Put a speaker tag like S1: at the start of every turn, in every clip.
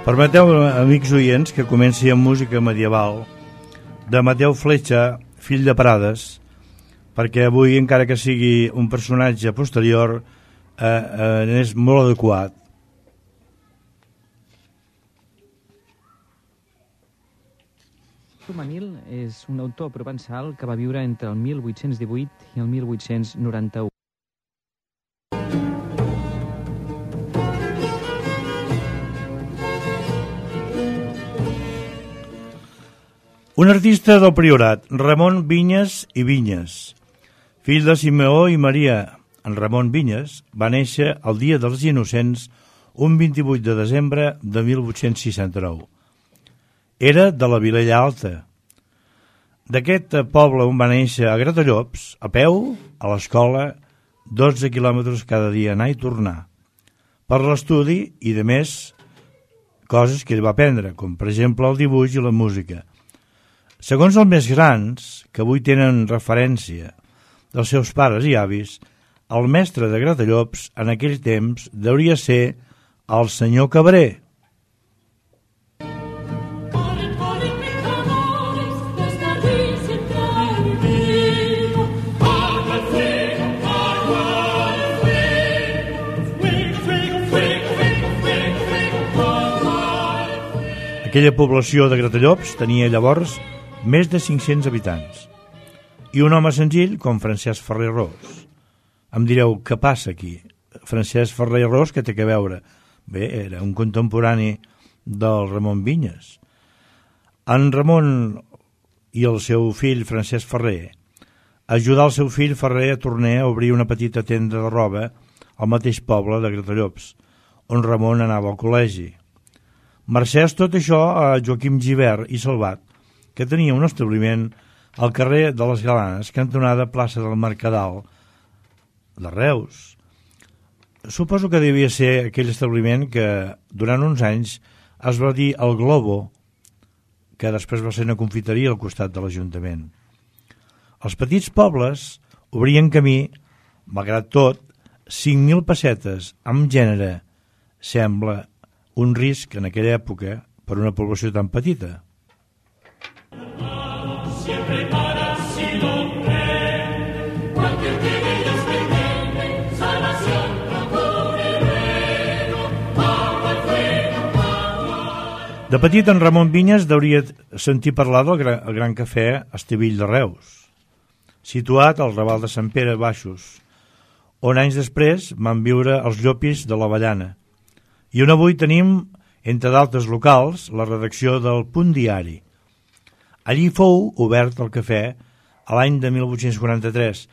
S1: Permeteu, amics oients, que comenci amb música medieval de Mateu Fletxa, fill de Prades, perquè avui, encara que sigui un personatge posterior, és molt adequat.
S2: Manil és un autor provençal que va viure entre el 1818 i el 1891.
S1: Un artista del Priorat, Ramon Vinyes i Vinyes, fill de Simeó i Maria. En Ramon Vinyes va néixer el dia dels Innocents, un 28 de desembre de 1869. Era de la Vilella Alta. D'aquest poble on va néixer a Gratallops, a peu, a l'escola, 12 quilòmetres cada dia anar i tornar, per l'estudi i, de més, coses que ell va aprendre, com per exemple el dibuix i la música. Segons els més grans, que avui tenen referència dels seus pares i avis, el mestre de Gratallops en aquell temps deuria ser el senyor Cabré. Aquella població de Gratallops tenia llavors més de 500 habitants, i un home senzill com Francesc Ferrer Ros. Em direu, què passa aquí? Francesc Ferrer Ros, què té a veure? Bé, era un contemporani del Ramon Vinyes. En Ramon i el seu fill Francesc Ferrer ajudar el seu fill Ferrer a tornar a obrir una petita tenda de roba al mateix poble de Gratallops, on Ramon anava al col·legi. Mercès tot això a Joaquim Gibert i Salvat, que tenia un establiment al carrer de les Galanes, cantonada plaça del Mercadal de Reus. Suposo que devia ser aquell establiment que durant uns anys es va dir el Globo, que després va ser una confiteria al costat de l'Ajuntament. Els petits pobles obrien camí, malgrat tot, 5.000 pessetes amb gènere sembla un risc en aquella època per una població tan petita.
S3: Siempre para si lo cree, cualquier que de ellos pretende, salvación procure luego, agua, fuego, agua.
S1: De petit, en Ramon Vinyes deuria sentir parlar del gran cafè Estivill de Reus, situat al Raval de Sant Pere Baixos, on anys després van viure els Llopis de l'Avellana. I on avui tenim, entre d'altres locals, la redacció del Punt Diari. Allí fou obert el cafè a l'any de 1843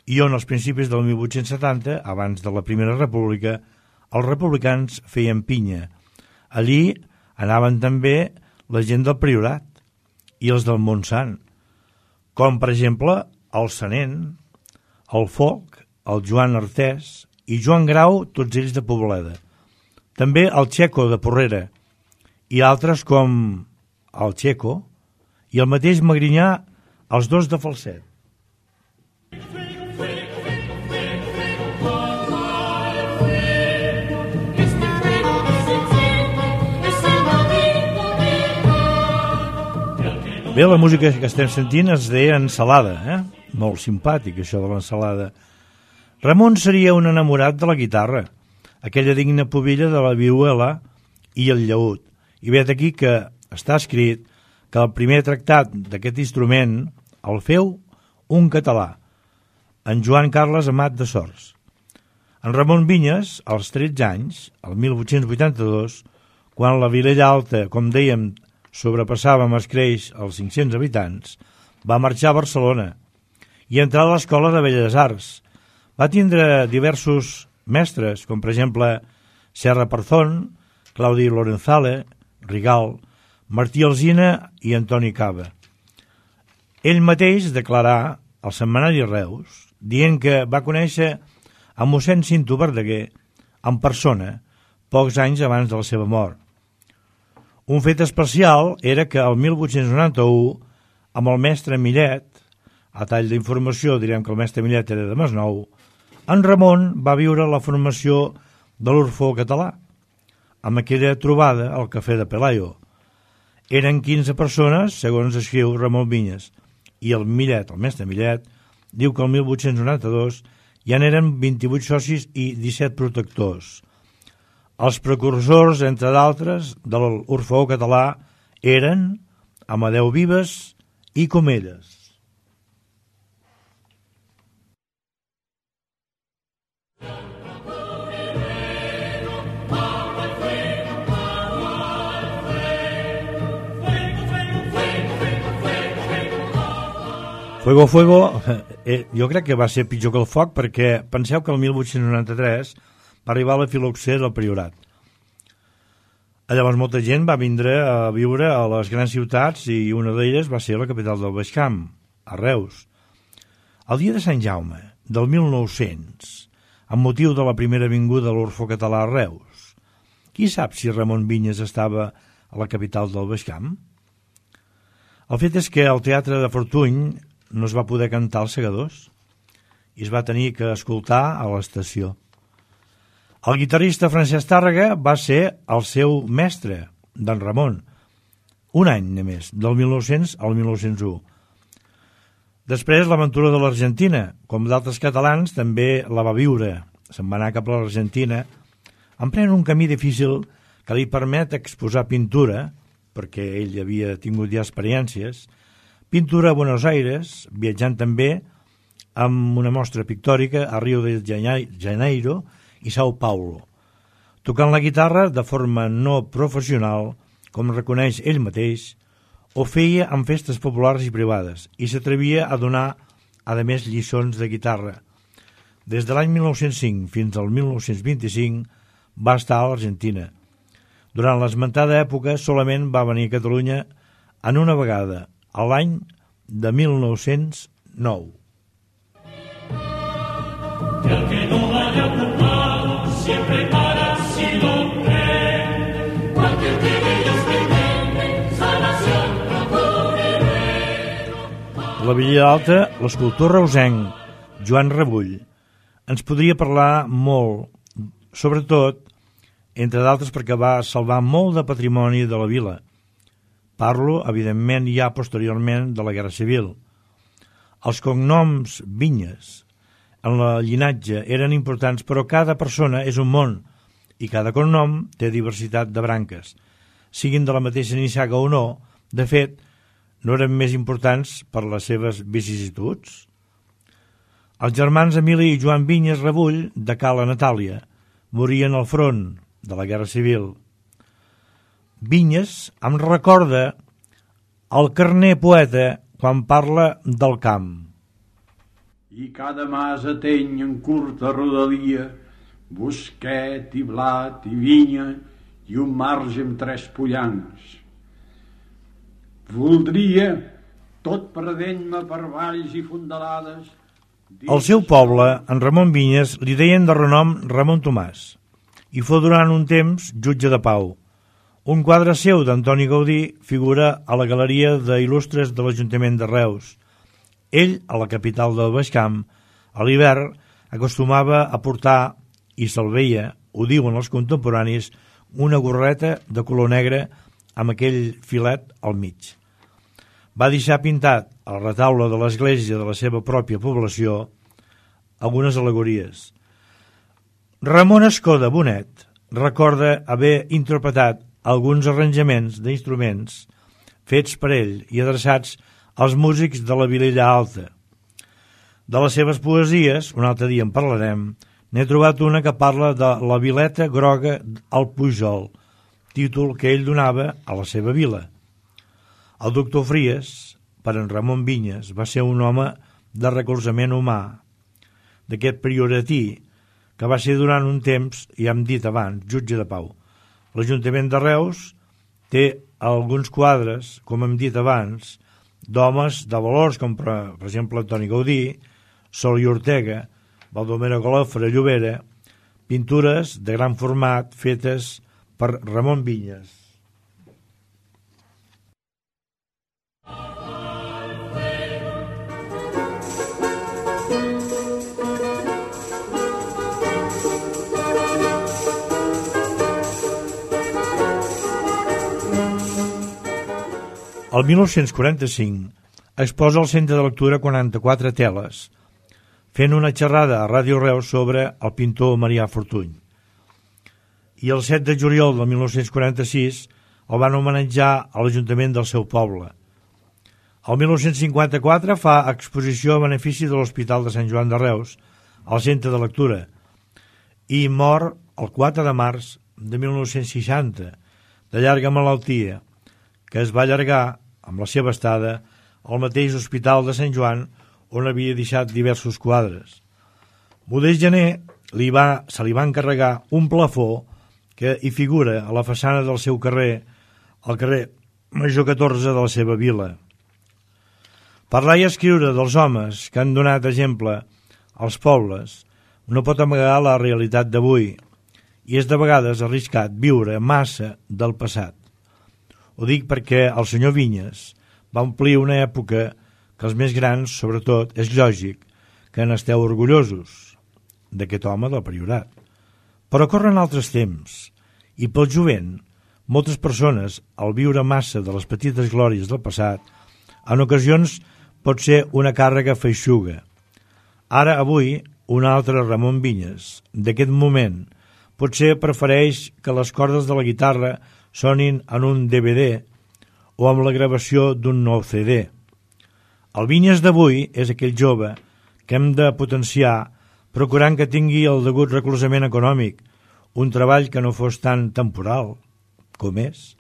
S1: i on als principis del 1870, abans de la Primera República, els republicans feien pinya. Allí anaven també la gent del Priorat i els del Montsant, com per exemple el Sanent, el Foc, el Joan Artés i Joan Grau, tots ells de Pobleda. També el Checo de Porrera i altres com el Checo i el mateix Magrinyà, els dos de Falset. Bé, la música que estem sentint es deia Ensalada, Molt simpàtic, això de l'ensalada. Ramon seria un enamorat de la guitarra, aquella digna pubilla de la vihuela i el llaüt. I ve d'aquí que està escrit que el primer tractat d'aquest instrument el feu un català, en Joan Carles Amat de Sors. En Ramon Vinyes, als 13 anys, el 1882, quan la Vilella Alta, com dèiem, sobrepassava amb escreix els 500 habitants, va marxar a Barcelona i entrar a l'Escola de Belles Arts. Va tindre diversos mestres, com per exemple Serra Parzón, Claudi Lorenzale, Rigal, Martí Alsina i Antoni Cava. Ell mateix declarà al setmanari Reus, dient que va conèixer a mossèn Cinto Verdaguer en persona pocs anys abans de la seva mort. Un fet especial era que el 1891, amb el mestre Millet, a tall d'informació direm que el mestre Millet era de Masnou, en Ramon va viure la formació de l'Orfeó Català, amb aquella trobada al Cafè de Pelayo. Eren 15 persones, segons escriu Ramon Vinyes, i el Millet, el mestre Millet, diu que el 1892 ja n'eren 28 socis i 17 protectors. Els precursors, entre d'altres, de l'Orfeó català eren Amadeu Vives i Comelles. Fuego, Fuego, jo crec que va ser pitjor que el foc, perquè penseu que el 1893 va arribar a la filoxera del Priorat. Llavors molta gent va vindre a viure a les grans ciutats i una d'elles va ser la capital del Baix Camp, a Reus. El dia de Sant Jaume, del 1900, amb motiu de la primera vinguda de l'Orfeó català a Reus, qui sap si Ramon Vinyes estava a la capital del Baix Camp? El fet és que al Teatre de Fortuny no es va poder cantar als Segadors i es va tenir que escoltar a l'estació. El guitarrista Francesc Tàrrega va ser el seu mestre, d'en Ramon, un any només, del 1900 al 1901. Després l'aventura de l'Argentina, com d'altres catalans, també la va viure. Se'n va anar cap a l'Argentina, emprèn un camí difícil que li permet exposar pintura, perquè ell havia tingut ja experiències, pintura a Buenos Aires, viatjant també amb una mostra pictòrica a Rio de Janeiro i Sao Paulo, tocant la guitarra de forma no professional, com reconeix ell mateix, ho feia en festes populars i privades i s'atrevia a donar, a més, lliçons de guitarra. Des de l'any 1905 fins al 1925 va estar a l'Argentina. Durant l'esmentada època solament va venir a Catalunya en una vegada, a l'any de 1909.
S3: El que no haya ocupado siempre para si lo cree. Cualquier que de ellos pretende salvación procure luego.
S1: La Villa Alta, l'escultor reusenc Joan Rebull ens podria parlar molt, sobretot, entre d'altres perquè va salvar molt de patrimoni de la vila. Parlo, evidentment, ja posteriorment de la Guerra Civil. Els cognoms Vinyes en la llinatge eren importants, però cada persona és un món i cada cognom té diversitat de branques. Siguin de la mateixa nissaga o no, de fet, no eren més importants per les seves vicissituds. Els germans Emili i Joan Vinyes Rebull, de Cala Natàlia, morien al front de la Guerra Civil. Vinyes em recorda el Carner poeta quan parla del camp.
S4: I cada mas ateny en curta rodalia, bosquet i blat i vinya i un marge amb 3 pollanes. Voldria, tot perdent-me per valls i fondalades...
S1: Al seu poble, en Ramon Vinyes, li deien de renom Ramon Tomàs i fou durant un temps jutge de pau. Un quadre seu d'Antoni Gaudí figura a la galeria d'il·lustres de l'Ajuntament de Reus. Ell, a la capital del Baix Camp, a l'hivern, acostumava a portar, i se'l veia, ho diuen els contemporanis, una gorreta de color negre amb aquell filet al mig. Va deixar pintat al retaule de l'església de la seva pròpia població algunes al·legories. Ramon Escoda Bonet recorda haver interpretat alguns arranjaments d'instruments fets per ell i adreçats als músics de la Vilella Alta. De les seves poesies, un altre dia en parlarem, n'he trobat una que parla de la vileta groga al Pujol, títol que ell donava a la seva vila. El doctor Fries, per en Ramon Vinyes, va ser un home de recolzament humà, d'aquest prioratí, que va ser durant un temps, ja hem dit abans, jutge de pau. L'Ajuntament de Reus té alguns quadres, com hem dit abans, d'homes de valors, com per exemple Antoni Gaudí, Sol i Ortega, Baldomero Golofre, Llobera, pintures de gran format fetes per Ramon Vinyes. El 1945 exposa al Centre de Lectura 44 teles, fent una xerrada a Ràdio Reus sobre el pintor Marià Fortuny. I el 7 de juliol del 1946 el van homenatjar a l'Ajuntament del seu poble. El 1954 fa exposició a benefici de l'Hospital de Sant Joan de Reus, al Centre de Lectura, i mor el 4 de març de 1960, de llarga malaltia, que es va allargar amb la seva estada al mateix Hospital de Sant Joan, on havia deixat diversos quadres. Modest Gené se li va encarregar un plafó que hi figura a la façana del seu carrer, al carrer Major 14 de la seva vila. Parlar i escriure dels homes que han donat exemple als pobles no pot amagar la realitat d'avui, i és de vegades arriscat viure massa del passat. Ho dic perquè el senyor Vinyes va omplir una època que els més grans, sobretot, és lògic que n'esteu orgullosos d'aquest home del Priorat. Però corren altres temps, i pel jovent, moltes persones, al viure massa de les petites glòries del passat, en ocasions pot ser una càrrega feixuga. Ara, avui, un altre Ramon Vinyes, d'aquest moment, potser prefereix que les cordes de la guitarra sonin en un DVD o amb la gravació d'un nou CD. El Vinyes d'avui és aquell jove que hem de potenciar procurant que tingui el degut recolzament econòmic, un treball que no fos tan temporal com és,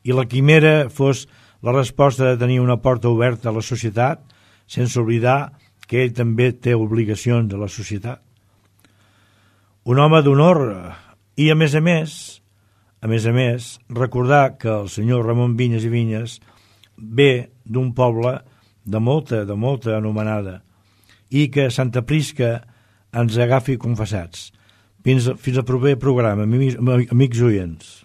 S1: i la quimera fos la resposta de tenir una porta oberta a la societat, sense oblidar que ell també té obligacions a la societat. Un home d'honor i, a més, recordar que el senyor Ramon Vinyes i Vinyes ve d'un poble de molta anomenada, i que Santa Prisca ens agafi confessats. Fins al proper programa, amics oients.